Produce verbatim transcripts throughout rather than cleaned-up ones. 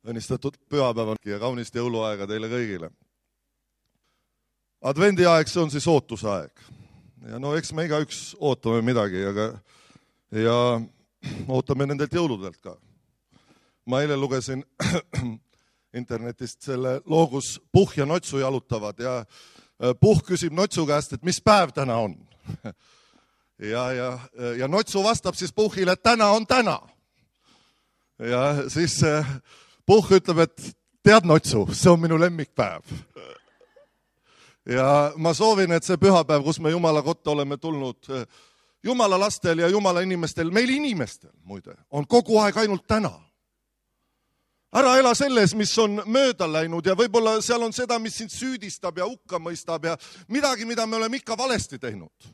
Õnnistatud pühapäevangi ja kaunist jõuluaega teile kõigile. Advendiaeg, see on siis ootusaeg. Ja no eks me igaüks ootame midagi, aga ja ootame nendelt jõuludelt ka. Ma eile lugesin internetist selle loo, kus Puhh ja Notsu jalutavad ja Puhh küsib Notsu käest, et mis päev täna on. Ja, ja, ja Notsu vastab siis Puhhile, et täna on täna. Ja siis Puhh ütleb, et tead Notsu, see on minu lemmikpäev. Ja ma soovin, et see pühapäev, kus me Jumala kotta oleme tulnud, Jumala lastel ja Jumala inimestel, meil inimestel muide, on kogu aeg ainult täna. Ära ela selles, mis on mööda läinud ja võib-olla seal on seda, mis sind süüdistab ja hukka mõistab ja midagi, mida me oleme ikka valesti teinud.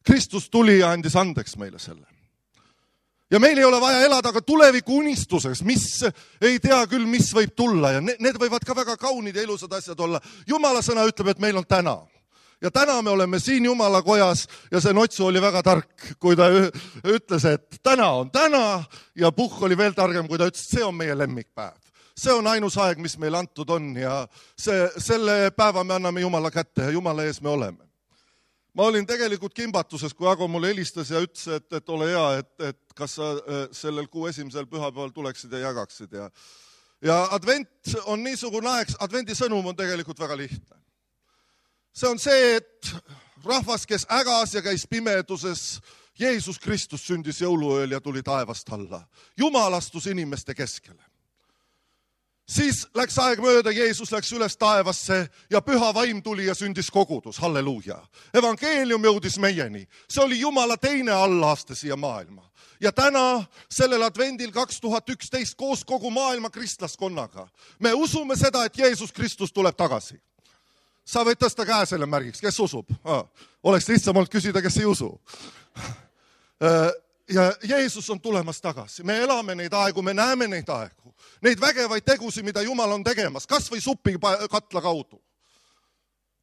Kristus tuli ja andis andeks meile selle. Ja meil ei ole vaja elada ka tuleviku unistuses, mis ei tea küll, mis võib tulla ja need võivad ka väga kaunid ja ilusad asjad olla. Jumala sõna ütleb, et meil on täna. Ja täna me oleme siin Jumala kojas ja see Notsu oli väga tark, kui ta ütles, et täna on täna ja Puhh oli veel targem, kui ta ütles, et see on meie lemmikpäev. See on ainus aeg, mis meil antud on ja see, selle päeva me anname Jumala kätte ja Jumala ees me oleme. Ma olin tegelikult kimbatuses, kui Ago mulle helistas ja ütles, et, et ole hea, et, et kas sa sellel kuu esimesel pühapäeval tuleksid ja jagaksid. Ja, ja advent on niisugune aeg, advendi sõnum on tegelikult väga lihtne. See on see, et rahvas, kes ägas ja käis pimeduses, Jeesus Kristus sündis jõuluööl ja tuli taevast alla. Jumal astus inimeste keskele. Siis läks aeg mööda, Jeesus läks üles taevasse ja püha vaim tuli ja sündis kogudus. Halleluuja. Evangeelium jõudis meieni. See oli Jumala teine allaaste siia maailma. Ja täna, sellel advendil kaks tuhat üksteist koos kogu maailma kristlaskonnaga, me usume seda, et Jeesus Kristus tuleb tagasi. Sa võid tõsta käe selle märgiks, kes usub? Ah, oleks lihtsam olnud küsida, kes ei usu. Ja Jeesus on tulemas tagasi. Me elame neid aegu, me näeme neid aegu. Neid vägevaid tegusi, mida Jumal on tegemas, kas või supi katla kaudu.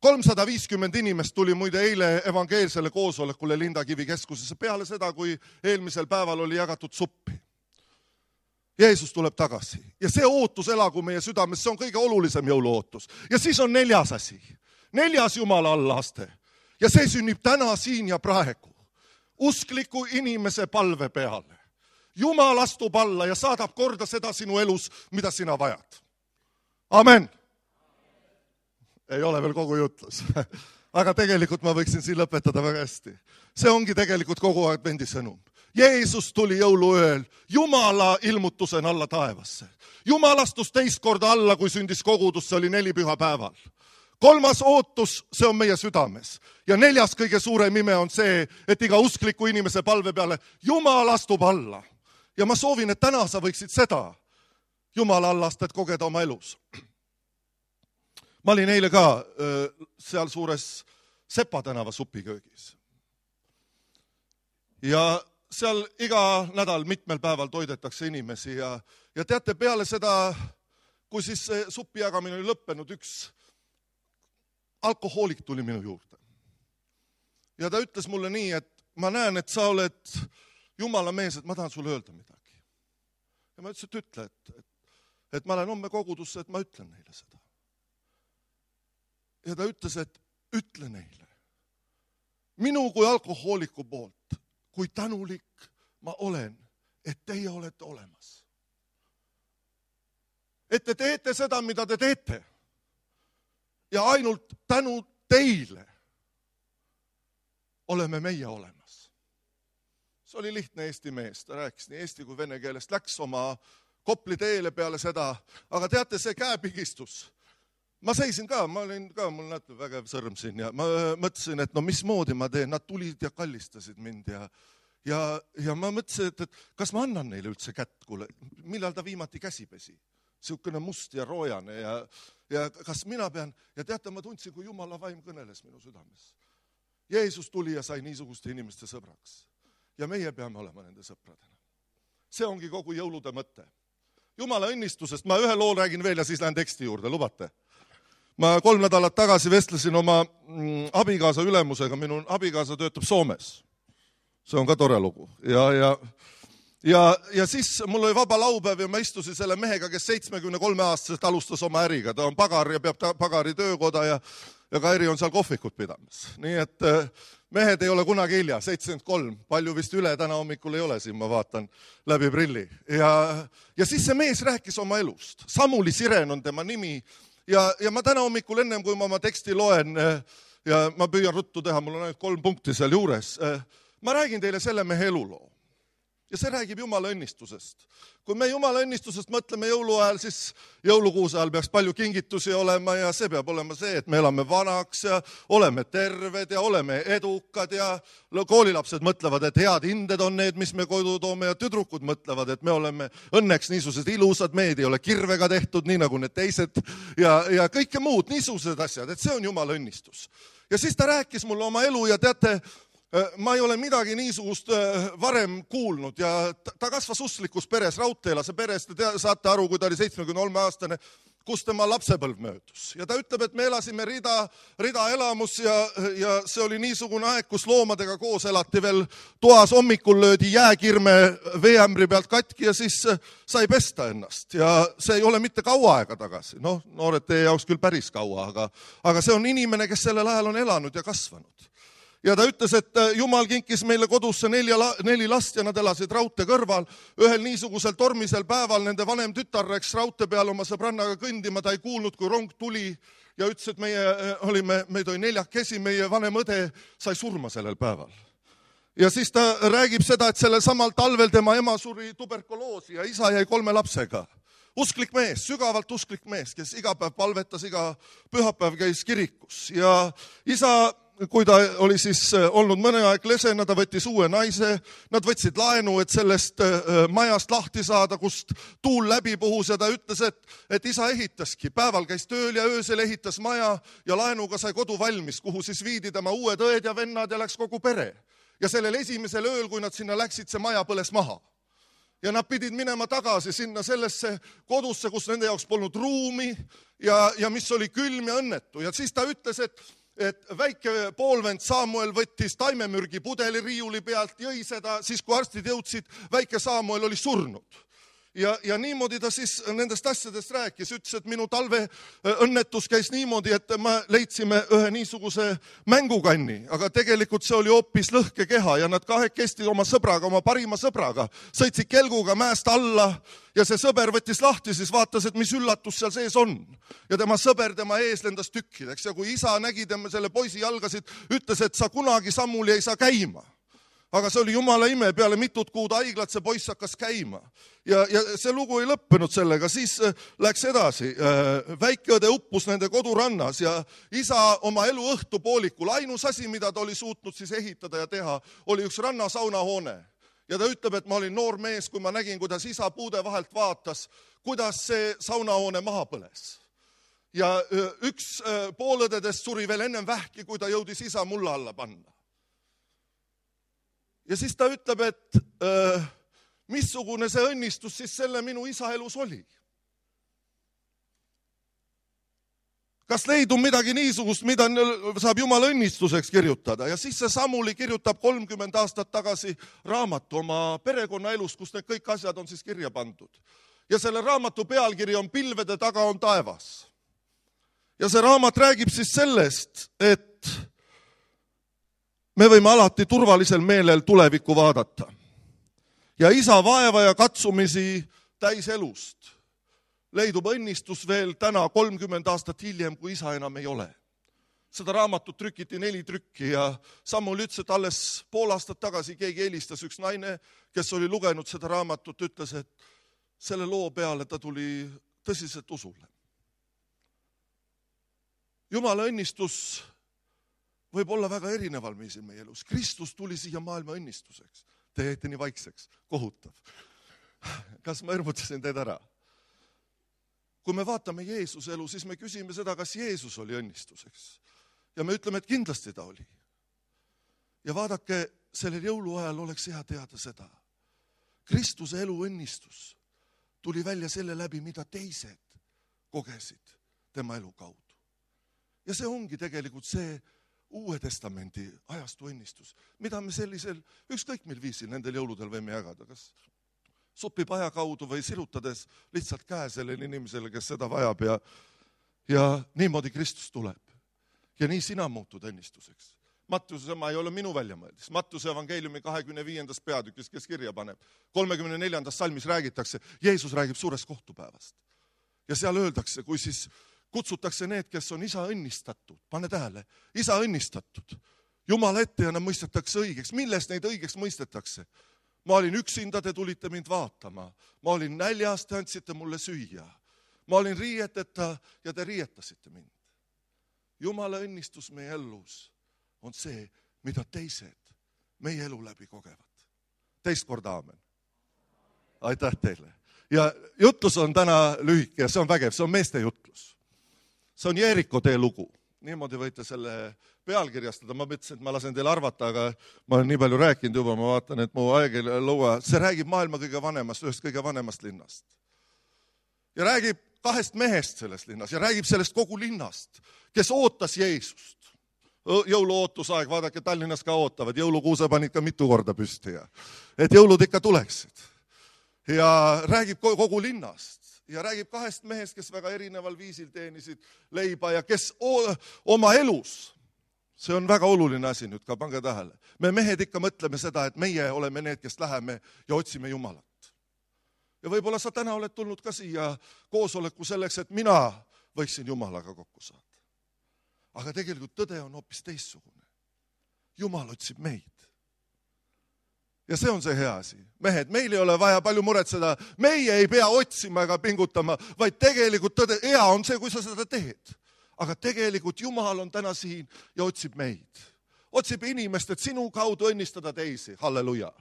kolmsada viiskümmend inimest tuli muide eile evangeelsele koosolekule Lindakivi keskusesse peale seda, kui eelmisel päeval oli jagatud suppi. Jeesus tuleb tagasi ja see ootus elagu meie südames, see on kõige olulisem jõuluootus. Ja siis on neljas asi, neljas Jumala allaaste ja see sünnib täna siin ja praegu. Uskliku inimese palve peale. Jumal astub alla ja saadab korda seda sinu elus, mida sina vajad. Amen. Ei ole veel kogu jutlus. Aga tegelikult ma võiksin siin lõpetada väga hästi. See ongi tegelikult kogu advendi sõnum. Jeesus tuli jõuluööl Jumala ilmutusena alla taevasse. Jumal astus teist korda alla, kui sündis kogudus, see oli neli püha päeval. Kolmas ootus, see on meie südames. Ja neljas kõige suurem ime on see, et iga uskliku inimese palve peale Jumal astub alla. Ja ma soovin, et täna sa võiksid seda Jumala allastet kogeda oma elus. Ma olin eile ka seal suures Sepa tänava supiköögis. Ja seal iga nädal mitmel päeval toidetakse inimesi ja, ja teate, peale seda, kui siis see supi jagamine oli lõppenud, üks alkohoolik tuli minu juurde. Ja ta ütles mulle nii, et ma näen, et sa oled Jumala mees, et ma tahan sulle öelda midagi. Ja ma ütlesin, et ütle, et, et, et ma lähen homme kogudusse, et ma ütlen neile seda. Ja ta ütles, et ütle neile. Minu kui alkohooliku poolt, kui tänulik ma olen, et teie olete olemas. Et te teete seda, mida te teete. Ja ainult tänu teile oleme meie olemas. See oli lihtne eesti mees, ta rääkis nii eesti kui vene keelest, läks oma Kopli teele peale seda, aga teate, see käepigistus. Ma seisin ka, ma olin ka, mul näete vägev sõrm siin ja ma mõtlesin, et no mismoodi ma teen, nad tulid ja kallistasid mind ja, ja, ja ma mõtlesin, et, et kas ma annan neile üldse kätt, kuule, millal ta viimati käsi pesi? Siukene must ja roojane ja, ja kas mina pean, ja teate, ma tundsin, kui Jumala vaim kõneles minu südames. Jeesus tuli ja sai niisuguste inimeste sõbraks. Ja meie peame olema nende sõpradena. See ongi kogu jõulude mõte. Jumala õnnistusest, ma ühe loo räägin veel ja siis lähen teksti juurde, lubate. Ma kolm nädalat tagasi vestlesin oma abikaasa ülemusega, minu abikaasa töötab Soomes. See on ka tore lugu. Ja, ja, ja, ja siis mul oli vaba laupäev ja ma istusin selle mehega, kes seitsmekümne kolme aastaselt alustas oma äriga. Ta on pagar ja peab ta pagari töökoda ja, ja Kairi on seal kohvikut pidamas. Nii et mehed ei ole kunagi hilja, seitsekümmend kolm, palju vist üle täna hommikul ei ole siin, ma vaatan läbi prilli. Ja, ja siis see mees rääkis oma elust. Samuli Siren on tema nimi ja, ja ma täna hommikul ennem, kui ma oma teksti loen ja ma püüan ruttu teha, mul on ainult kolm punkti seal juures, ma räägin teile selle mehe eluloo. Ja see räägib Jumala õnnistusest. Kui me Jumala õnnistusest mõtleme jõuluajal, siis jõulukuuse ajal peaks palju kingitusi olema ja see peab olema see, et me elame vanaks ja oleme terved ja oleme edukad ja koolilapsed mõtlevad, et head hinded on need, mis me kodu toome ja tüdrukud mõtlevad, et me oleme õnneks niisugused ilusad, mehed ei ole kirvega tehtud, nii nagu need teised ja, ja kõike muud, niisugused asjad, et see on Jumala õnnistus. Ja siis ta rääkis mulle oma elu ja teate, ma ei ole midagi niisugust varem kuulnud ja ta kasvas usklikus peres, raudteelase peres, te saate aru, kui ta oli seitsmekümne kolme aastane, kus tema lapsepõlv möödus. Ja ta ütleb, et me elasime rida, rida elamus ja, ja see oli niisugune aeg, kus loomadega koos elati veel toas, hommikul löödi jääkirme veeämbri pealt katki ja siis sai pesta ennast. Ja see ei ole mitte kaua aega tagasi, noh, noored teie jaoks küll päris kaua, aga, aga see on inimene, kes sellel ajal on elanud ja kasvanud. Ja ta ütles, et Jumal kinkis meile kodusse nelja, neli last ja nad elasid raudtee kõrval. Ühel niisugusel tormisel päeval nende vanem tütar läks raudtee peale oma sõbrannaga kõndima, ta ei kuulnud, kui rong tuli ja ütles, et meie olime, meid oli neljakesi, meie vanem õde sai surma sellel päeval. Ja siis ta räägib seda, et sellel samal talvel tema ema suri tuberkuloosi ja isa jäi kolme lapsega. Usklik mees, sügavalt usklik mees, kes iga päev palvetas, iga pühapäev käis kirikus ja isa, kui ta oli siis olnud mõne aeg lesena, ta võttis uue naise, nad võtsid laenu, et sellest majast lahti saada, kust tuul läbi puhus ja ta ütles, et, et isa ehitaski. Päeval käis tööl ja öösel ehitas maja ja laenuga sai kodu valmis, kuhu siis viidi tema uued õed ja vennad ja läks kogu pere. Ja sellel esimesel ööl, kui nad sinna läksid, see maja põles maha. Ja nad pidid minema tagasi sinna sellesse kodusse, kus nende jaoks polnud ruumi ja, ja mis oli külm ja õnnetu. Ja siis ta ütles, et et väike poolvend Samuel võttis taimemürgi pudeli riiuli pealt, jõi seda, siis kui arstid jõudsid, väike Samuel oli surnud. Ja, ja niimoodi ta siis nendest asjadest rääkis, ütles, et minu talve õnnetus käis niimoodi, et me leidsime ühe niisuguse mängukanni, aga tegelikult see oli hoopis lõhke keha ja nad kahekesti oma sõbraga, oma parima sõbraga, sõitsid kelguga mäest alla ja see sõber võttis lahti, siis vaatas, et mis üllatus seal sees on. Ja tema sõber tema ees lendas tükkideks ja kui isa nägi tema selle poisi jalgasid, ütles, et sa kunagi Samuli ei saa käima. Aga see oli Jumala ime, peale mitut kuud haiglat see poiss hakkas käima. Ja, ja see lugu ei lõppenud sellega, siis läks edasi. Väikeõde uppus nende kodurannas ja isa oma elu õhtupoolikul, ainus asi, mida ta oli suutnud siis ehitada ja teha, oli üks rannasaunahoone. Ja ta ütleb, et ma olin noor mees, kui ma nägin, kuidas isa puude vahelt vaatas, kuidas see saunahoone maha põles. Ja üks poolõdedest suri veel ennem vähki, kui ta jõudis isa mulla alla panna. Ja siis ta ütleb, et äh, missugune see õnnistus siis selle minu isa elus oli. Kas leidub midagi niisugust, mida saab Jumala õnnistuseks kirjutada? Ja siis see Samuli kirjutab kolmkümmend aastat tagasi raamatu oma perekonna elust, kus need kõik asjad on siis kirja pandud. Ja selle raamatu pealkiri on Pilvede taga on taevas. Ja see raamat räägib siis sellest, et me võime alati turvalisel meelel tulevikku vaadata. Ja isa vaeva ja katsumisi täis elust leidub õnnistus veel täna kolmkümmend aastat hiljem, kui isa enam ei ole. Seda raamatut trükiti neli trükki ja Samul ütles, et alles pool aastat tagasi keegi helistas üks naine, kes oli lugenud seda raamatut, ütles, et selle loo peale ta tuli tõsiselt usule. Jumala õnnistus võib olla väga erineval viisil meie elus. Kristus tuli siia maailma õnnistuseks. Te jäite nii vaikseks, kohutav. Kas ma ermutasin teid ära? Kui me vaatame Jeesuse elu, siis me küsime seda, kas Jeesus oli õnnistuseks. Ja me ütleme, et kindlasti ta oli. Ja vaadake, sellel jõuluajal oleks hea teada seda. Kristuse elu õnnistus tuli välja selle läbi, mida teised kogesid tema elu kaudu. Ja see ongi tegelikult see Uue Testamendi ajastu õnnistus, mida me sellisel, ükskõik mil viisil nendel jõuludel võime jagada. Kas supipaja kaudu või sirutades lihtsalt käe sellele inimesele, kes seda vajab ja, ja niimoodi Kristus tuleb. Ja nii sina muutud õnnistuseks. Mattuse, ma ei ole minu väljamõeldis. Mattuse evangeeliumi kahekümne viiendas peatükis, kes kirja paneb. kolmekümne neljandas salmis räägitakse, Jeesus räägib suurest kohtupäevast. Ja seal öeldakse, kui siis kutsutakse need, kes on isa õnnistatud, pane tähele, isa õnnistatud. Jumala ette ja nad mõistetakse õigeks. Millest neid õigeks mõistetakse? Ma olin üksinda, te tulite mind vaatama. Ma olin näljas, te andsite mulle süüa. Ma olin riieteta ja te riietasite mind. Jumala õnnistus meie elus on see, mida teised meie elu läbi kogevad. Teist korda aamen. Aitäh teile. Ja jutlus on täna lühike ja see on vägev, see on meeste jutlus. See on Jeeriko tee lugu. Niimoodi võite selle pealkirjastada. Ma mõtlesin, et ma lasen teile arvata, aga ma olen nii palju rääkinud juba, ma vaatan, et mu aeg ei lõua. See räägib maailma kõige vanemast, ühest kõige vanemast linnast. Ja räägib kahest mehest selles linnas ja räägib sellest kogu linnast, kes ootas Jeesust. Jõuluootusaeg, vaadake, Tallinnas ka ootavad. Jõulukuuse panid ka mitu korda püsti ja et jõulud ikka tuleksid. Ja räägib kogu linnast ja räägib kahest mehest, kes väga erineval viisil teenisid leiba ja kes oma elus, see on väga oluline asi nüüd ka, pange tähele. Me mehed ikka mõtleme seda, et meie oleme need, kes läheme ja otsime Jumalat. Ja võib-olla sa täna oled tulnud ka siia koosoleku selleks, et mina võiksin Jumalaga kokku saada. Aga tegelikult tõde on hoopis teistsugune. Jumal otsib meid. Ja see on see hea asi. Mehed, meil ei ole vaja palju muretseda. Meie ei pea otsima ega pingutama, vaid tegelikult tõde, hea on see, kui sa seda teed. Aga tegelikult Jumal on täna siin ja otsib meid. Otsib inimest, et sinu kaudu õnnistada teisi. Halleluja.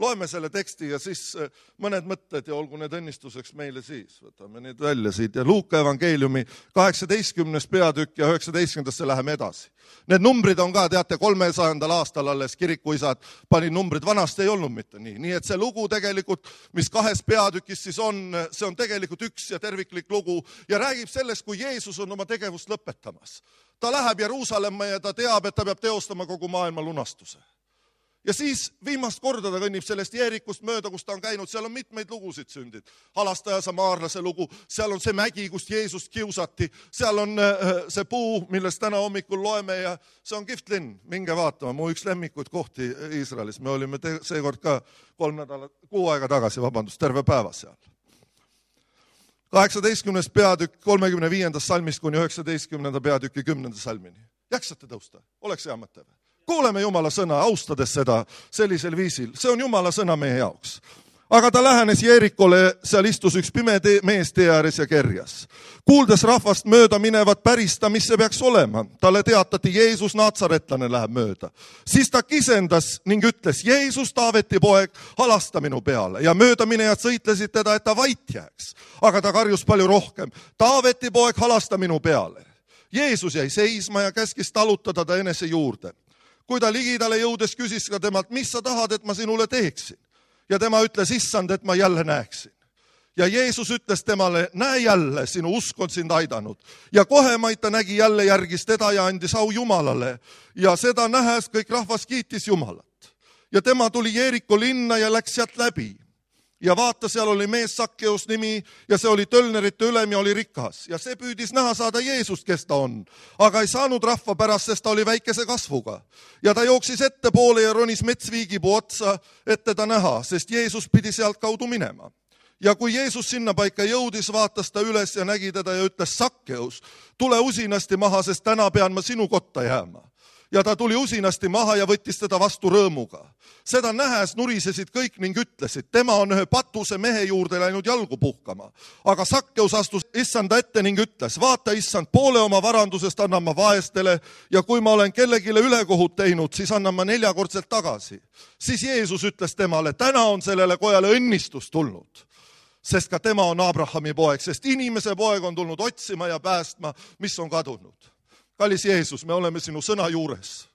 Loeme selle teksti ja siis mõned mõtted ja olgu need õnnistuseks meile siis. Võtame need välja siit ja Luuka evangeeliumi kaheksateistkümnes peatükk ja üheksateistkümnendasse läheme edasi. Need numbrid on ka, teate, kolmesajandal aastal alles kirikuisad pani numbrid, vanasti ei olnud mitte nii. Nii et see lugu tegelikult, mis kahes peatükis siis on, see on tegelikult üks ja terviklik lugu ja räägib sellest, kui Jeesus on oma tegevust lõpetamas. Ta läheb Jeruusalemma ja ta teab, et ta peab teostama kogu maailma lunastuse. Ja siis viimast korda ta kõnnib sellest Jeerikust mööda, kus ta on käinud, seal on mitmeid lugusid sündid. Halastaja Samaarlase lugu, seal on see mägi, kust Jeesust kiusati, seal on see puu, millest täna hommikul loeme ja see on kihvt linn, minge vaatama, mu üks lemmikuid kohti Iisraelis. Me olime te- seekord ka kolm nädalat, kuu aega tagasi, vabandust, terve päeva seal. kaheksateistkümnes peatükk kolmekümne viiendas salmist kuni üheksateistkümnenda peatüki kümnenda salmini. Jaksate tõusta? Oleks hea mõte või? Kuuleme Jumala sõna, austades seda sellisel viisil. See on Jumala sõna meie jaoks. Aga ta lähenes Jeerikole, seal istus üks pime te- mees tee ääres ja kerjas. Kuuldes rahvast mööda minevat pärista, mis see peaks olema. Talle teatati, Jeesus Natsaretlane läheb mööda. Siis ta kisendas ning ütles, Jeesus, Taaveti poeg, halasta minu peale. Ja möödaminejad sõitlesid teda, et ta vait jääks. Aga ta karjus palju rohkem. Taaveti poeg, halasta minu peale. Jeesus jäi seisma ja käskis talutada ta enese juurde. Kui ta ligidale jõudes küsis ka temalt, mis sa tahad, et ma sinule teeksin? Ja tema ütles, issand, et ma jälle näeksin. Ja Jeesus ütles temale, näe jälle, sinu usk on sind aidanud. Ja kohe maid ta nägi jälle järgis teda ja andis au Jumalale. Ja seda nähes kõik rahvas kiitis Jumalat. Ja tema tuli Jeeriko linna ja läks sealt läbi. Ja vaata, seal oli mees Sakkeus nimi ja see oli tölnerite ülem ja oli rikas. Ja see püüdis näha saada Jeesust, kes ta on. Aga ei saanud rahva pärast, sest ta oli väikese kasvuga. Ja ta jooksis ettepoole ja ronis metsviigipuu otsa, et teda näha, sest Jeesus pidi sealt kaudu minema. Ja kui Jeesus sinna paika jõudis, vaatas ta üles ja nägi teda ja ütles, Sakkeus, tule usinasti maha, sest täna pean ma sinu kotta jääma. Ja ta tuli usinasti maha ja võttis teda vastu rõõmuga. Seda nähes nurisesid kõik ning ütlesid, tema on ühe patuse mehe juurde läinud jalgu puhkama. Aga Sakkeus astus issanda ette ning ütles, vaata issand, poole oma varandusest annan ma vaestele ja kui ma olen kellegile ülekohut teinud, siis annan ma neljakordselt tagasi. Siis Jeesus ütles temale, täna on sellele kojale õnnistus tulnud, sest ka tema on Abrahami poeg, sest inimese poeg on tulnud otsima ja päästma, mis on kadunud. Kallis Jeesus, me oleme sinu sõna juures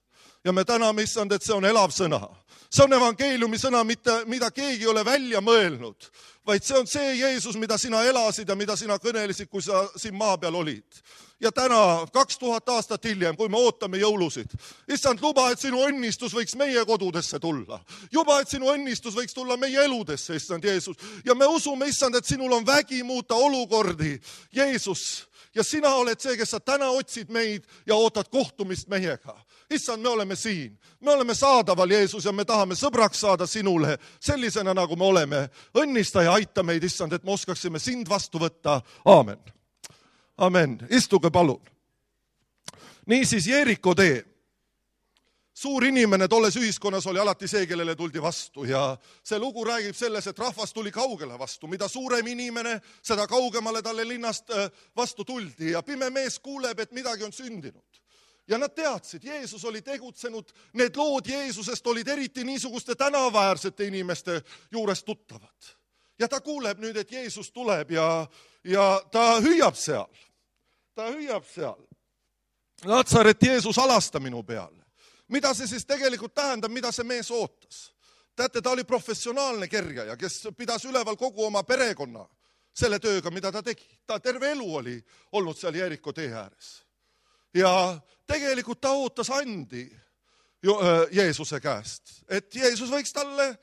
ja me täname issand, et see on elav sõna. See on evangeeliumi sõna, mida, mida keegi ei ole välja mõelnud, vaid see on see Jeesus, mida sina elasid ja mida sina kõnelesid, kui sa siin maa peal olid. Ja täna, kaks tuhat aastat hiljem, kui me ootame jõulusid, issand, luba, et sinu õnnistus võiks meie kodudesse tulla. Juba, et sinu õnnistus võiks tulla meie eludesse, issand Jeesus. Ja me usume, issand, et sinul on vägi muuta olukordi, Jeesus. Ja sina oled see, kes sa täna otsid meid ja ootad kohtumist meiega. Issand, me oleme siin. Me oleme saadaval, Jeesus, ja me tahame sõbraks saada sinule sellisena, nagu me oleme. Õnnista ja aita meid, issand, et me oskaksime sind vastu võtta. Aamen. Amen. Istuge palun. Niisiis, Jeeriko tee. Suur inimene tolles ühiskonnas oli alati see, kellele tuldi vastu ja see lugu räägib selles, et rahvas tuli kaugele vastu. Mida suurem inimene, seda kaugemale talle linnast vastu tuldi ja pime mees kuuleb, et midagi on sündinud. Ja nad teadsid, Jeesus oli tegutsenud, need lood Jeesusest olid eriti niisuguste tänaväärsete inimeste juures tuttavad. Ja ta kuuleb nüüd, et Jeesus tuleb ja, ja ta hüüab seal. Ta hüüab seal. Natsaret, Jeesus, alasta minu peale. Mida see siis tegelikult tähendab, mida see mees ootas? Teate, ta oli professionaalne kerjaja, kes pidas üleval kogu oma perekonna selle tööga, mida ta tegi. Ta terve elu oli olnud seal Jeeriko tee ääres. Ja tegelikult ta ootas andi Jeesuse käest, et Jeesus võiks talle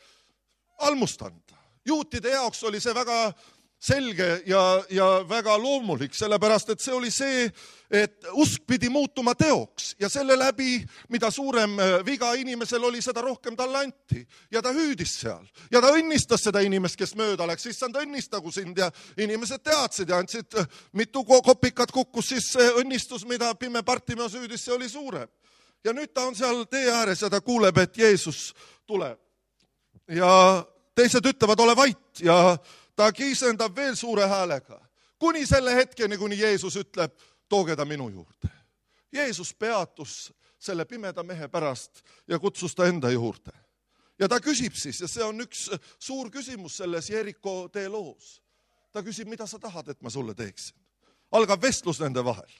almust anda. Juutide jaoks oli see väga selge ja, ja väga loomulik, sellepärast, et see oli see, et usk pidi muutuma teoks ja selle läbi, mida suurem viga inimesel oli, seda rohkem talle anti. Ja ta hüüdis seal ja ta õnnistas seda inimest, kes mööda läks, siis ta õnnistagu sind ja inimesed teadsid ja andsid mitu kopikat kukkus, siis see õnnistus, mida pime Bartimeus hüüdis, see oli suurem. Ja nüüd ta on seal tee ääres ja ta kuuleb, et Jeesus tuleb. Ja teised ütlevad, ole vait ja ta kiisendab veel suure häälega, kuni selle hetkeni, kuni Jeesus ütleb, tooge ta minu juurde. Jeesus peatus selle pimeda mehe pärast ja kutsus ta enda juurde. Ja ta küsib siis, ja see on üks suur küsimus selles Jeeriko tee loos. Ta küsib, mida sa tahad, et ma sulle teeksin. Algab vestlus nende vahel.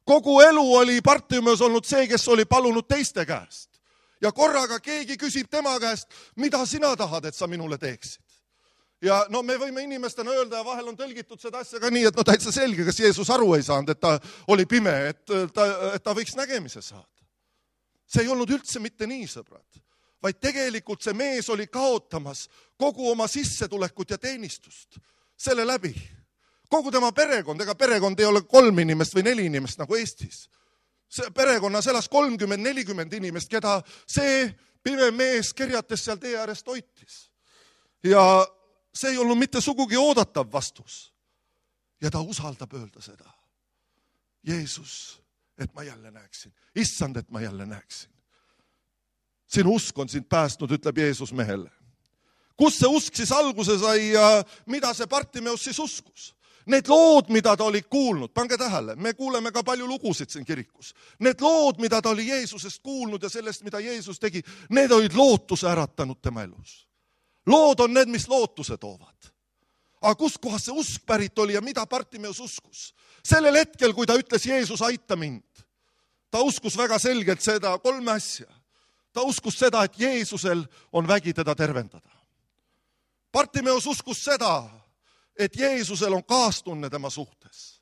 Kogu elu oli Bartimeus olnud see, kes oli palunud teiste käest. Ja korraga keegi küsib tema käest, mida sina tahad, et sa minule teeksid. Ja no me võime inimestena öelda ja vahel on tõlgitud seda asja ka nii, et no täitsa selge, kas Jeesus aru ei saanud, et ta oli pime, et ta, et ta võiks nägemise saada. See ei olnud üldse mitte nii, sõbrad, vaid tegelikult see mees oli kaotamas kogu oma sissetulekut ja teenistust selle läbi. Kogu tema perekond, ega perekond ei ole kolm inimest või neli inimest nagu Eestis. See perekonnas elas kolmkümmend nelikümmend inimest, keda see pime mees kerjates seal tee äärest hoitis. Ja see ei olnud mitte sugugi oodatav vastus. Ja ta usaldab öelda seda. Jeesus, et ma jälle näeksin. Issand, et ma jälle näeksin. Sinu usk on sind päästnud, ütleb Jeesus mehele. Kus see usk siis alguse sai ja mida see Bartimeus siis uskus? Need lood, mida ta oli kuulnud, pange tähele, me kuuleme ka palju lugusid siin kirikus. Need lood, mida ta oli Jeesusest kuulnud ja sellest, mida Jeesus tegi, need olid lootuse äratanud tema elus. Lood on need, mis lootuse toovad. Aga kus kohas see usk pärit oli ja mida Bartimeus uskus? Sellel hetkel, kui ta ütles, Jeesus, aita mind, ta uskus väga selgelt seda kolme asja. Ta uskus seda, et Jeesusel on vägi teda tervendada. Bartimeus uskus seda, et Jeesusel on kaastunne tema suhtes.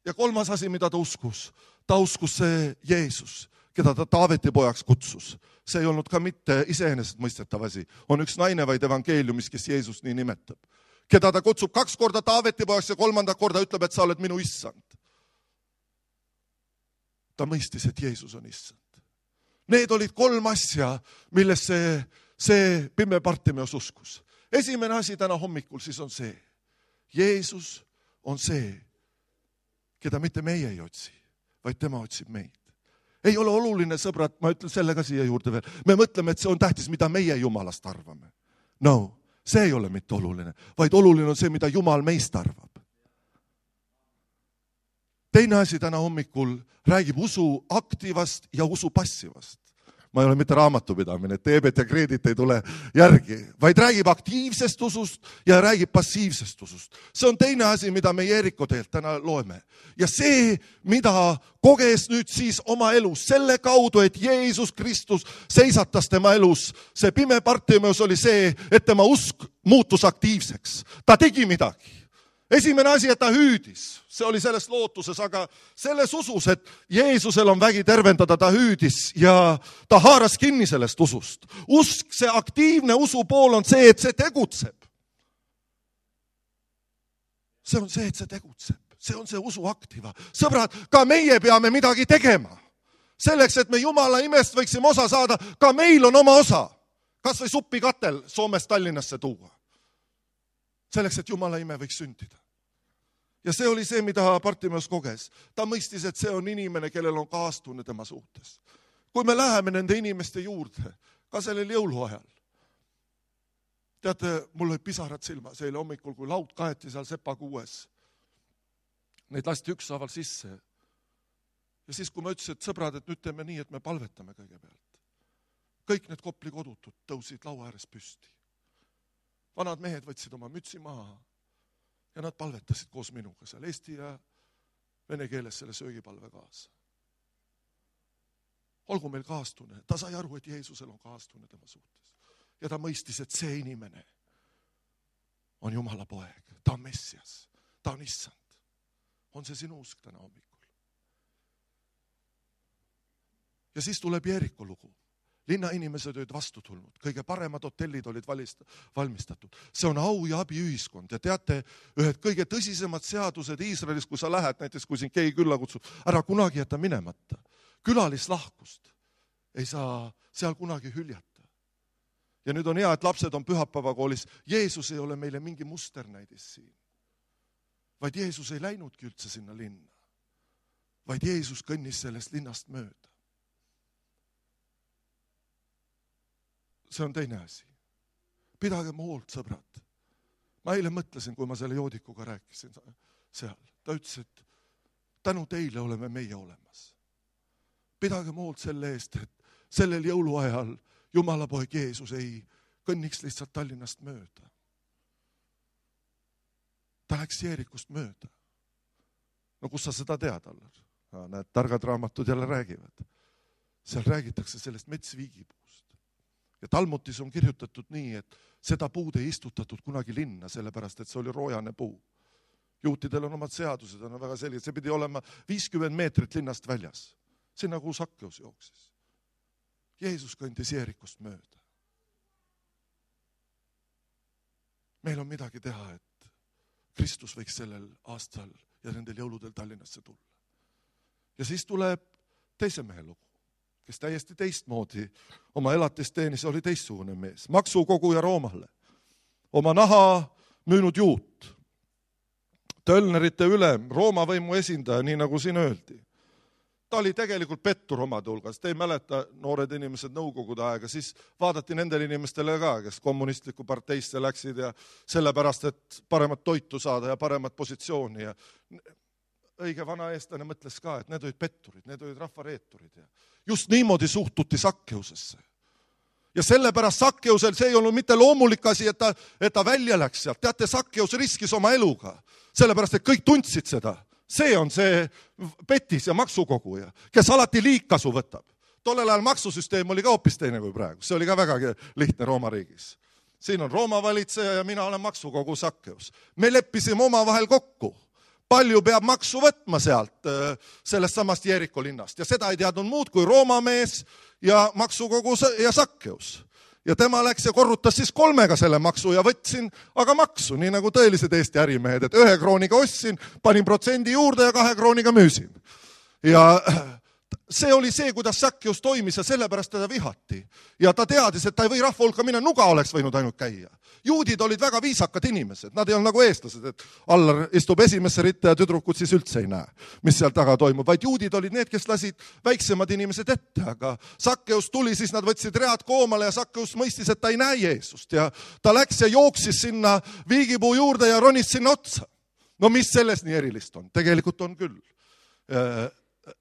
Ja kolmas asi, mida ta uskus, ta uskus see Jeesus, keda ta Taaveti pojaks kutsus. See ei olnud ka mitte iseenesest mõistetav asi. On üks naine vaid evangeeliumis, kes Jeesus nii nimetab. Keda ta kutsub kaks korda Taaveti pojaks ja kolmanda korda ütleb, et sa oled minu issand. Ta mõistis, et Jeesus on issand. Need olid kolm asja, milles see, see pime Bartimeus uskus. Esimene asi täna hommikul siis on see. Jeesus on see, keda mitte meie ei otsi, vaid tema otsib meid. Ei ole oluline, sõbrad, ma ütlen selle ka siia juurde veel. Me mõtleme, et see on tähtis, mida meie Jumalast arvame. No, see ei ole mitte oluline, vaid oluline on see, mida Jumal meist arvab. Teine asi täna hommikul räägib usu aktivast ja usu passivast. ma ei ole mitte raamatupidamine, et teebet ja kreedit ei tule järgi, vaid räägib aktiivsest usust ja räägib passiivsest usust. See on teine asi, mida me Jeeriko teelt täna loeme. Ja see, mida koges nüüd siis oma elus, selle kaudu, et Jeesus Kristus seisatas tema elus, see pime Bartimeus oli see, et tema usk muutus aktiivseks. Ta tegi midagi. Esimene asi, et ta hüüdis, see oli selles lootuses, aga selles usus, et Jeesusel on vägi tervendada, ta hüüdis ja ta haaras kinni sellest usust. Usk, see aktiivne usu pool on see, et see tegutseb. See on see, et see tegutseb. See on see usu aktiva. Sõbrad, ka meie peame midagi tegema. Selleks, et me Jumala imest võiksime osa saada, ka meil on oma osa. Kas või suppikatel Soomest Tallinnasse tuua. Selleks, et Jumala ime võiks sündida. Ja see oli see, mida Bartimeus koges. Ta mõistis, et see on inimene, kellel on kaastunne tema suhtes. Kui me läheme nende inimeste juurde, ka sellel jõuluajal. Teate, mul oli pisarad silmas eile hommikul, kui laud kaeti seal Sepakuues. Neid lasti ükshaaval sisse. Ja siis, kui ma ütlesin, et sõbrad, et nüüd teeme nii, et me palvetame kõigepealt. Kõik need Kopli kodutud tõusid laua ääres püsti. Vanad mehed võtsid oma mütsi maha ja nad palvetasid koos minuga seal eesti ja vene keeles selle söögipalve kaasa. Olgu meil kaastunne. Ta sai aru, et Jeesusel on kaastunne tema suhtes. Ja ta mõistis, et see inimene on Jumala poeg. Ta on Messias. Ta on issand. On see sinu usk täna hommikul? Ja siis tuleb Jeeriko lugu. Linna inimesed olid vastu tulnud. Kõige paremad hotellid olid valmistatud. See on au ja abi ühiskond. Ja teate, ühed kõige tõsisemad seadused Iisraelis, kui sa lähed, näiteks kui siin keegi külla kutsub, ära kunagi jätta minemata. Külalislahkust ei saa seal kunagi hüljata. Ja nüüd on hea, et lapsed on pühapäevakoolis. Jeesus ei ole meile mingi musternäidis siin. Vaid Jeesus ei läinudki üldse sinna linna. Vaid Jeesus kõnnis sellest linnast mööda. See on teine asi. Pidage hoolt, sõbrad. Ma eile mõtlesin, kui ma selle joodikuga rääkisin seal. Ta ütles, et tänu teile oleme meie olemas. Pidage hoolt selle eest, et sellel jõuluajal Jumala poeg Jeesus ei kõnniks lihtsalt Tallinnast mööda. Ta läks Jeerikust mööda. No kus sa seda tead, Allar? Need targad raamatud jälle räägivad. Seal räägitakse sellest metsviigipuust. Ja Talmutis on kirjutatud nii, et seda puud ei istutatud kunagi linna, sellepärast, et see oli roojane puu. Juutidel on omad seadused, on väga selged. See pidi olema viiskümmend meetrit linnast väljas. Sinna, kuhu Sakkeus jooksis. Jeesus kõndis Jeerikust mööda. Meil on midagi teha, et Kristus võiks sellel aastal ja nendel jõuludel Tallinnasse tulla. Ja siis tuleb teise mehe lugu, kes täiesti teistmoodi oma elatisteenis oli teistsugune mees. Maksukoguja Roomale. Oma naha müünud juut. Tölnerite ülem, Rooma võimu esindaja, nii nagu siin öeldi. Ta oli tegelikult pettur omade hulgas. Te ei mäleta, noored inimesed nõukogude aega, siis vaadati nendele inimestele ka, kes kommunistliku parteisse läksid ja sellepärast, et paremat toitu saada ja paremat positsiooni. Ja õige vana eestlane mõtles ka, et need olid petturid, need olid rahvareeturid. Ja just niimoodi suhtuti Sakkeusesse. Ja sellepärast Sakkeusel see ei olnud mitte loomulik asi, et ta, et ta välja läks sealt. Teate, Sakkeus riskis oma eluga, sellepärast, et kõik tundsid seda. See on see petis ja maksukoguja, kes alati liigkasu võtab. Tollel ajal maksusüsteem oli ka hoopis teine kui praegu. See oli ka väga lihtne Rooma riigis. Siin on Rooma valitseja ja mina olen maksukogu Sakkeus. Me leppisime oma vahel kokku. Palju peab maksu võtma sealt, sellest samast Jeeriko linnast. Ja seda ei teadnud muud kui Rooma mees ja maksukogu ja Sakkeus. Ja tema läks ja korrutas siis kolmega selle maksu ja võtsin aga maksu, nii nagu tõelised Eesti ärimehed, et ühe krooniga ostsin, panin protsendi juurde ja kahe krooniga müüsin. Ja see oli see, kuidas Sakkeus toimis ja sellepärast teda vihati. Ja ta teadis, et ta ei või rahva hulka minna, nuga oleks võinud ainult käia. Juudid olid väga viisakad inimesed, nad ei olnud nagu eestlased, et Allar istub esimesse ritta ja tüdrukud siis üldse ei näe, mis seal taga toimub. Vaid juudid olid need, kes lasid väiksemad inimesed ette, aga Sakkeus tuli, siis nad võtsid read koomale ja Sakkeus mõistis, et ta ei näe Jeesust. Ja ta läks ja jooksis sinna viigipuu juurde ja ronis sinna otsa. No mis selles nii erilist on? Tegelikult on küll.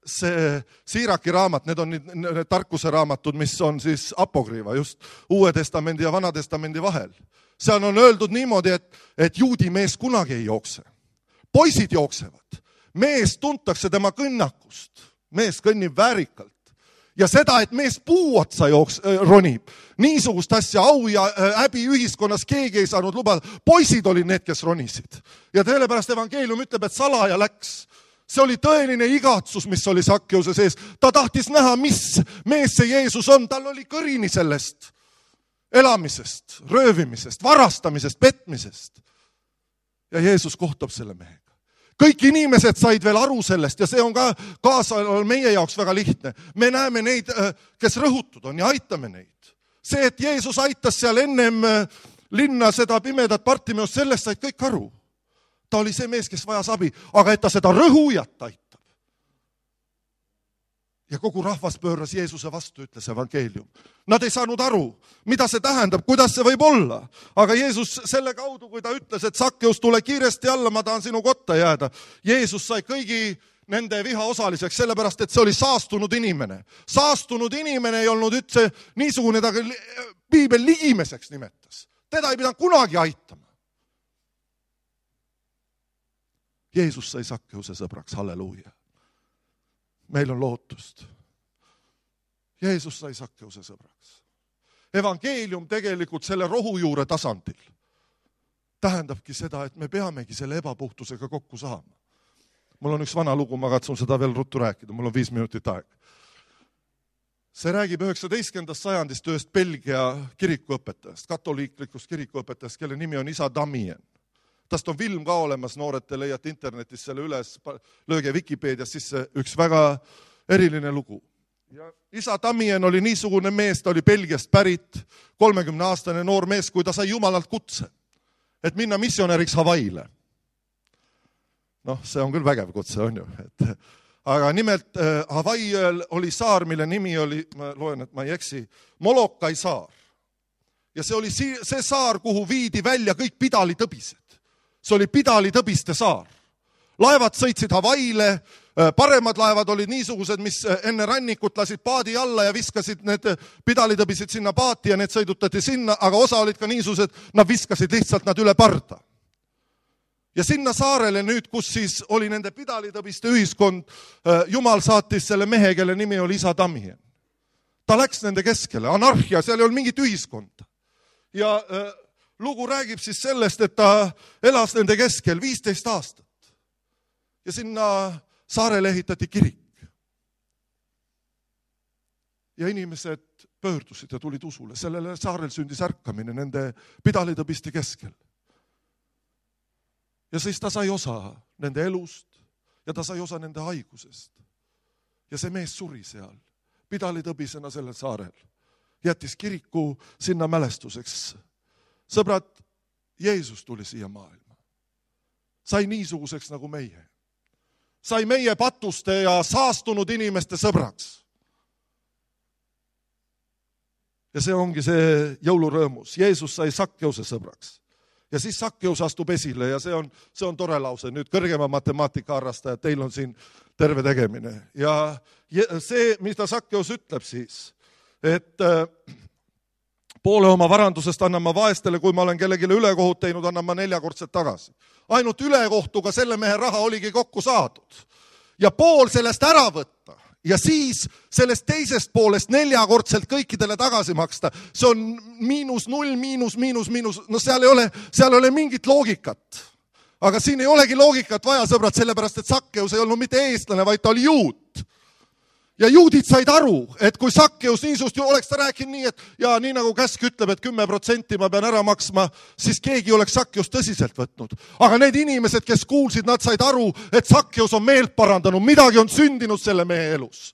see Siiraki raamat, need on need tarkuse raamatud, mis on siis apokriiva, just Uue testamendi ja Vana testamendi vahel. Seal on öeldud niimoodi, et, et juudi mees kunagi ei jookse. Poisid jooksevad. Mees tuntakse tema kõnnakust. Mees kõnnib väärikalt. Ja seda, et mees puu otsa jooks, äh, ronib. Niisugust asja au ja äh, häbi ühiskonnas keegi ei saanud lubada. Poisid olid need, kes ronisid. Ja sellepärast evangeelium ütleb, et salaja läks. See oli tõeline igatsus, mis oli Sakkeuse sees. Ta tahtis näha, mis mees see Jeesus on. Tal oli kõrini sellest elamisest, röövimisest, varastamisest, petmisest. Ja Jeesus kohtab selle mehega. Kõik inimesed said veel aru sellest ja see on ka kaasa meie jaoks väga lihtne. Me näeme neid, kes rõhutud on ja aitame neid. See, et Jeesus aitas seal ennem linna seda pimedat Bartimeost, sellest said kõik aru. Ta oli see mees, kes vajas abi, aga et ta seda rõhujat aitab. Ja kogu rahvas pööras Jeesuse vastu, ütles evangeelium. Nad ei saanud aru, mida see tähendab, kuidas see võib olla. Aga Jeesus selle kaudu, kui ta ütles, et Sakkeus, tule kiiresti alla, ma tahan sinu kotta jääda. Jeesus sai kõigi nende viha osaliseks, sellepärast, et see oli saastunud inimene. Saastunud inimene ei olnud üldse niisugune, ta piibel ligimeseks nimetas. Teda ei pidanud kunagi aitama. Jeesus sai Sakkeuse sõbraks, halleluuja. Meil on lootust. Jeesus sai Sakkeuse sõbraks. Evangeelium tegelikult selle rohujuure tasandil tähendabki seda, et me peamegi selle ebapuhtusega kokku saama. Mul on üks vana lugu, ma katsun seda veel ruttu rääkida, mul on viis minutit aeg. See räägib üheksateistkümnendast sajandist ühest Belgia kirikuõpetajast, katoliiklikust kirikuõpetajast, kelle nimi on isa Damien. Tast on film ka olemas, noored te leiate internetis selle üles, lööge Wikipeedias sisse, üks väga eriline lugu. Ja isa Damien oli niisugune mees, ta oli Belgiast pärit, kolmekümne aastane noor mees, kui ta sai Jumalalt kutse, et minna missionäriks Hawaiile. Noh, see on küll vägev kutse, on ju. Et, aga nimelt äh, Hawaiiel oli saar, mille nimi oli, ma loen, et ma ei eksi, Molokai saar. Ja see oli see saar, kuhu viidi välja kõik pidalitõbised. See oli pidalitõbiste saar. Laevad sõitsid Hawaiile, paremad laevad olid niisugused, mis enne rannikut lasid paadi alla ja viskasid need pidalitõbisid sinna paati ja need sõidutati sinna, aga osa olid ka niisugused, nad viskasid lihtsalt nad üle parda. Ja sinna saarele nüüd, kus siis oli nende pidalitõbiste ühiskond, Jumal saatis selle mehe, kelle nimi oli isa Damien. Ta läks nende keskele, anarhia, seal ei olnud mingit ühiskonda. Ja lugu räägib siis sellest, et ta elas nende keskel viisteist aastat. Ja sinna saarele ehitati kirik. Ja inimesed pöördusid ja tulid usule. Sellele saarel sündis ärkamine nende pidalitõbiste keskel. Ja siis ta sai osa nende elust ja ta sai osa nende haigusest. Ja see mees suri seal, pidalitõbisena sellel saarel. Jättis kiriku sinna mälestuseks. Sõbrad, Jeesus tuli siia maailma. Sai niisuguseks nagu meie. Sai meie patuste ja saastunud inimeste sõbraks. Ja see ongi see jõulurõõmus. Jeesus sai Sakkeuse sõbraks. Ja siis Sakkeus astub esile ja see on, see on tore lause. Nüüd kõrgema matemaatika harrastajad, teil on siin terve tegemine. Ja see, mida Sakkeus ütleb siis, et poole oma varandusest annan ma vaestele, kui ma olen kellegile ülekohut teinud, annan ma neljakordselt tagasi. Ainult ülekohtuga selle mehe raha oligi kokku saadud. Ja pool sellest ära võtta ja siis sellest teisest poolest neljakordselt kõikidele tagasi maksta. See on miinus null, miinus, miinus, miinus. No seal ei ole, seal ei ole mingit loogikat. Aga siin ei olegi loogikat vaja, sõbrad, sellepärast, et Sakkeus ei olnud mitte eestlane, vaid ta oli juut. Ja juudid said aru, et kui Sakkeus niisust ju oleks ta rääkinud nii, et ja nii nagu käsk ütleb, et kümme protsenti ma pean ära maksma, siis keegi oleks Sakkeus tõsiselt võtnud. Aga need inimesed, kes kuulsid, nad said aru, et Sakkeus on meelt parandanud, midagi on sündinud selle mehe elus.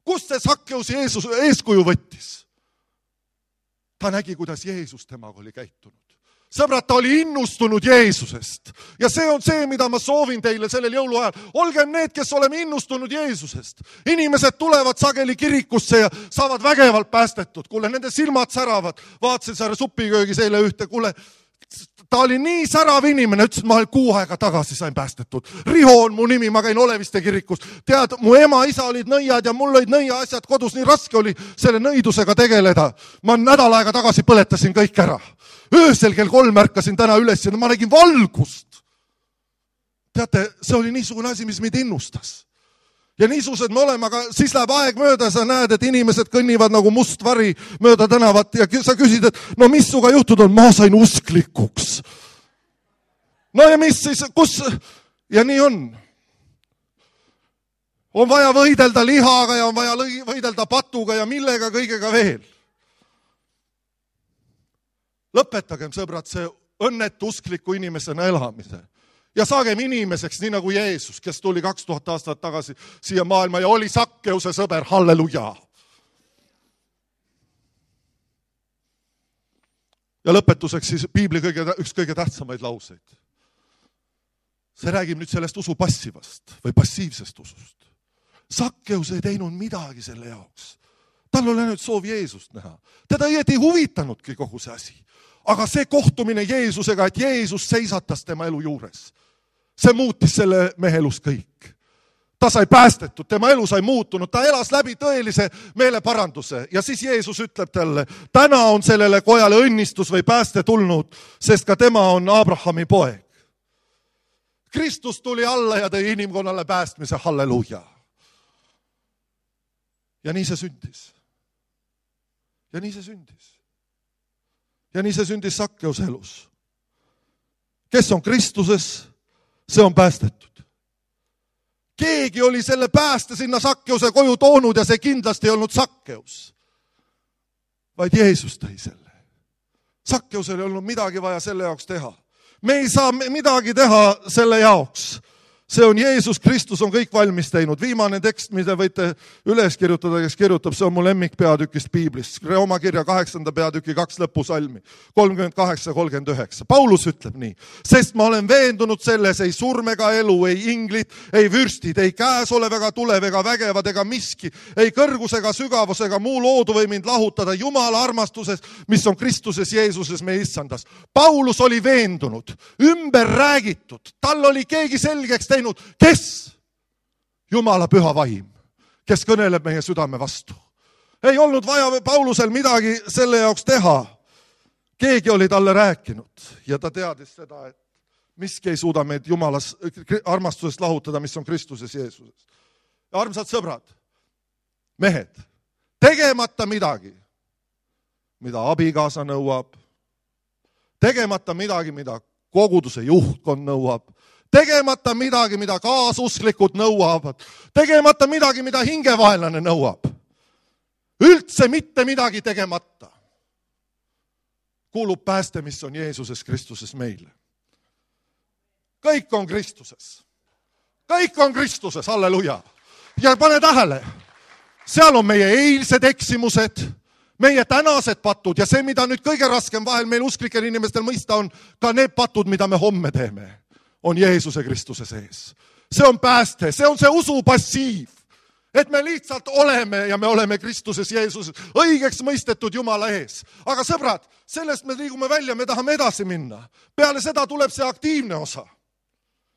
Kust see Sakkeus Jeesus eeskuju võttis? Ta nägi, kuidas Jeesus temaga oli käitunud. Sõbrad, ta oli innustunud Jeesusest. Ja see on see, mida ma soovin teile sellel jõuluajal. Olgem need, kes oleme innustunud Jeesusest. Inimesed tulevad sageli kirikusse ja saavad vägevalt päästetud. Kuule, nende silmad säravad. Vaatasin seal supiköögis eile ühte. Kuule, ta oli nii särav inimene, ütles, et ma kuu aega tagasi sain päästetud. Riho on mu nimi, ma käin Oleviste kirikus. Tead, mu ema, isa olid nõiad ja mul olid nõia asjad kodus, nii raske oli selle nõidusega tegeleda. Ma nädal aega tagasi põletasin kõik ära. Öösel kell kolm ärkasin täna üles ja ma nägin valgust. Teate, see oli niisugune asi, mis meid innustas. Ja niisugused me oleme, aga siis läheb aeg mööda, sa näed, et inimesed kõnnivad nagu must vari mööda tänavat ja sa küsid, et no mis suga juhtud on? Ma sain usklikuks. No ja mis siis, kus? Ja nii on. On vaja võidelda lihaga ja on vaja võidelda patuga ja millega kõigega veel. Lõpetagem, sõbrad, see õnnetu uskliku inimesena elamise. Ja saagem inimeseks, nii nagu Jeesus, kes tuli kaks tuhat aastat tagasi siia maailma ja oli Sakkeuse sõber, halleluja. Ja lõpetuseks siis Piibli kõige, üks kõige tähtsamaid lauseid. See räägib nüüd sellest usu passivast või passiivsest usust. Sakkeus ei teinud midagi selle jaoks. Tal oli nüüd soov Jeesust näha. Teda ei huvitanudki kogu see asi. Aga see kohtumine Jeesusega, et Jeesus seisatas tema elu juures. See muutis selle mehe elus kõik. Ta sai päästetud, tema elu sai muutunud, ta elas läbi tõelise meeleparanduse. Ja siis Jeesus ütleb talle, täna on sellele kojale õnnistus või pääste tulnud, sest ka tema on Abrahami poeg. Kristus tuli alla ja tõi inimkonnale päästmise, halleluja. Ja nii see sündis. Ja nii see sündis. Ja nii see sündis Sakkeuse elus. Kes on Kristuses? See on päästetud. Keegi oli selle pääste sinna Sakkeuse koju toonud ja see kindlasti ei olnud Sakkeus, vaid Jeesus tõi selle. Sakkeusel ei olnud midagi vaja selle jaoks teha. Me ei saa midagi teha selle jaoks. See on Jeesus Kristus on kõik valmis teinud. Viimane tekst, mida võite üles kirjutada, kes kirjutab, see on mu lemmik peatükist Piiblist. Rooma kirja kaheksanda peatüki kaks lõpusalmi, kolmkümmend kaheksa kolmkümmend üheksa. Paulus ütleb nii, sest ma olen veendunud selles, ei surm ega elu, ei inglit, ei vürstid, ei käesolev ega tulev ega vägevad ega miski, ei kõrgus ega sügavus ega muu loodu või mind lahutada Jumala armastuses, mis on Kristuses Jeesuses meie issandas. Paulus oli veendunud, ümber räägitud, tal oli keegi selgeks teinud, kes? Jumala püha vaim, kes kõneleb meie südame vastu. Ei olnud vaja Paulusel midagi selle jaoks teha. Keegi oli talle rääkinud ja ta teadis seda, et miski ei suuda meid Jumalas armastusest lahutada, mis on Kristuses Jeesuses. Ja armsad sõbrad, mehed, tegemata midagi, mida abikaasa nõuab, tegemata midagi, mida koguduse juhtkond nõuab, tegemata midagi, mida kaasusklikud nõuavad, tegemata midagi, mida hingevaenlane nõuab. Üldse mitte midagi tegemata. Kuulub pääste, mis on Jeesuses Kristuses meile. Kõik on Kristuses. Kõik on Kristuses, halleluja. Ja pane tähele, seal on meie eilsed eksimused, meie tänased patud ja see, mida nüüd kõige raskem vahel meil usklikel inimestel mõista on, ka need patud, mida me homme teeme, on Jeesuse Kristuse sees. See on pääste, see on see usu passiiv, et me lihtsalt oleme ja me oleme Kristuses Jeesuses õigeks mõistetud Jumala ees. Aga sõbrad, sellest me liigume välja, me tahame edasi minna. Peale seda tuleb see aktiivne osa.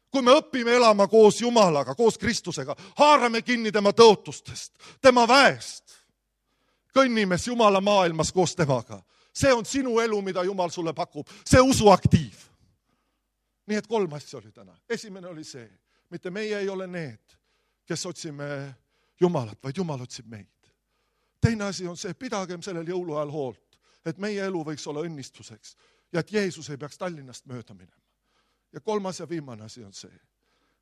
Kui me õpime elama koos Jumalaga, koos Kristusega, haarame kinni tema tõotustest, tema väest, kõnnime Jumala maailmas koos temaga. See on sinu elu, mida Jumal sulle pakub, see usu aktiiv. Nii et kolm asja oli täna. Esimene oli see, mitte meie ei ole need, kes otsime Jumalat, vaid Jumal otsib meid. Teine asi on see, pidagem sellel jõuluajal hoolt, et meie elu võiks olla õnnistuseks ja et Jeesus ei peaks Tallinnast mööda minema. Ja kolmas ja viimane asi on see,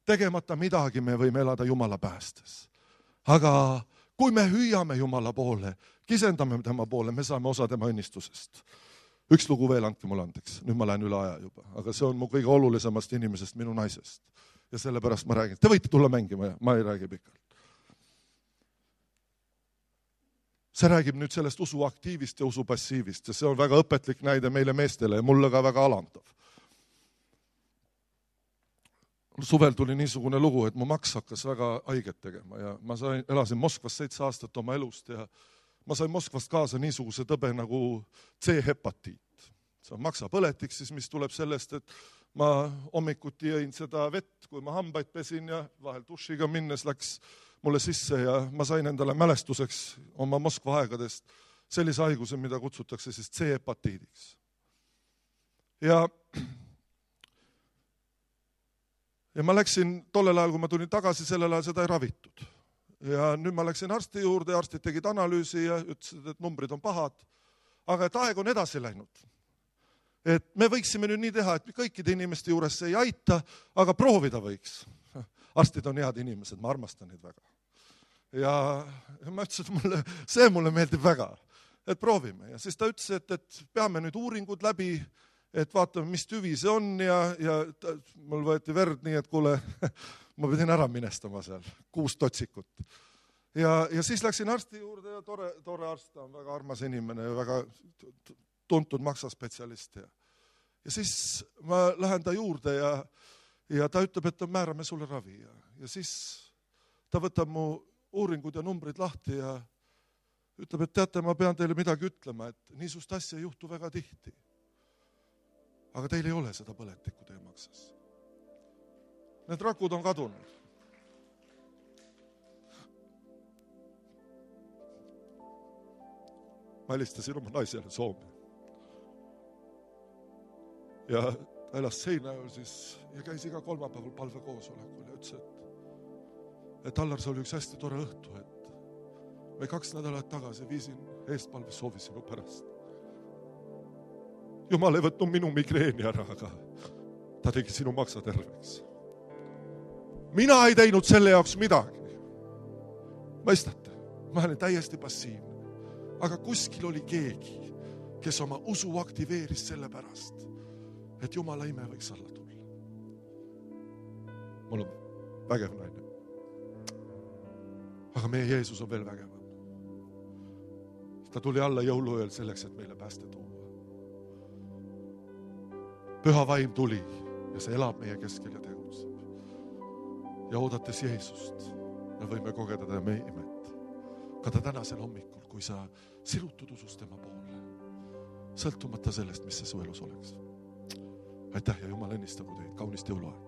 tegemata midagi me võime elada Jumala päästes. Aga kui me hüüame Jumala poole, kisendame tema poole, me saame osa tema õnnistusest. Üks lugu veel, andke mulle andeks. Nüüd ma lähen üle aja juba. Aga see on mu kõige olulisemast inimesest, minu naisest. Ja sellepärast ma räägin. Te võite tulla mängima, ma ei räägi pikalt. See räägib nüüd sellest usu aktiivist ja usu passiivist. Ja see on väga õpetlik näide meile meestele ja mulle ka väga alandav. Suvel tuli niisugune lugu, et mu maks hakkas väga haiget tegema. Ja ma sain, elasin Moskvas seitse aastat oma elust ja ma sain Moskvast kaasa niisuguse tõbe nagu C-hepatiit. see on maksapõletik siis, mis tuleb sellest, et ma hommikuti jõin seda vett, kui ma hambaid pesin ja vahel dušiga minnes läks mulle sisse ja ma sain endale mälestuseks oma Moskva aegadest sellise haiguse, mida kutsutakse siis C-hepatiidiks. Ja, ja ma läksin tollel ajal, kui ma tulin tagasi, sellel ajal seda ei ravitud. Ja nüüd ma läksin arsti juurde ja arstid tegid analüüsi ja ütlesid, et numbrid on pahad, aga et aeg on edasi läinud. Et me võiksime nüüd nii teha, et kõikide inimeste juures see ei aita, aga proovida võiks. Arstid on head inimesed, ma armastan neid väga. Ja ma ütlesin, et mulle, see mulle meeldib väga, et proovime. Ja siis ta ütles, et, et peame nüüd uuringud läbi, et vaatame, mis tüvi see on ja, ja ta, mul võeti verd nii, et kuule, ma pidin ära minestama seal, kuus totsikut. Ja, ja siis läksin arsti juurde ja tore, tore arst, ta on väga armas inimene ja väga tuntud maksaspetsialist. Ja, ja siis ma lähen ta juurde ja, ja ta ütleb, et määrame sulle ravi. Ja, ja siis ta võtab mu uuringud ja numbrid lahti ja ütleb, et teate, ma pean teile midagi ütlema, et niisugust asja ei juhtu väga tihti. Aga teil ei ole seda põletikku teie maksas. Need rakud on kadunud. Ma helistasin oma naisele Soome. Ja ta elas Seinäjoel siis ja käis iga kolmapäeval palvekoosolekul ja ütles, et, et Allar, see oli üks hästi tore õhtu, et me kaks nädalat tagasi viisin eestpalves soovi sinu pärast. Jumal ei võtnud minu migreeni ära, aga ta tegi sinu maksa terveks. Mina ei teinud selle jaoks midagi. Mõistate, ma olen täiesti passiivne. Aga kuskil oli keegi, kes oma usu aktiveeris selle pärast, et Jumala ime võiks alla tulla. Mul on vägev naine. Aga meie Jeesus on veel vägevam. Ta tuli alla jõuluööl selleks, et meile pääste tuua. Püha vaim tuli ja see elab meie keskel ja tegutseb. Ja oodates Jeesust me võime kogeda ta meie imet. Ka ta tänasel hommikul, kui sa sirutud usus tema poole, sõltumata sellest, mis see su elus oleks. Aitäh ja Jumal õnnistagu teid, kaunist jõuluaeg.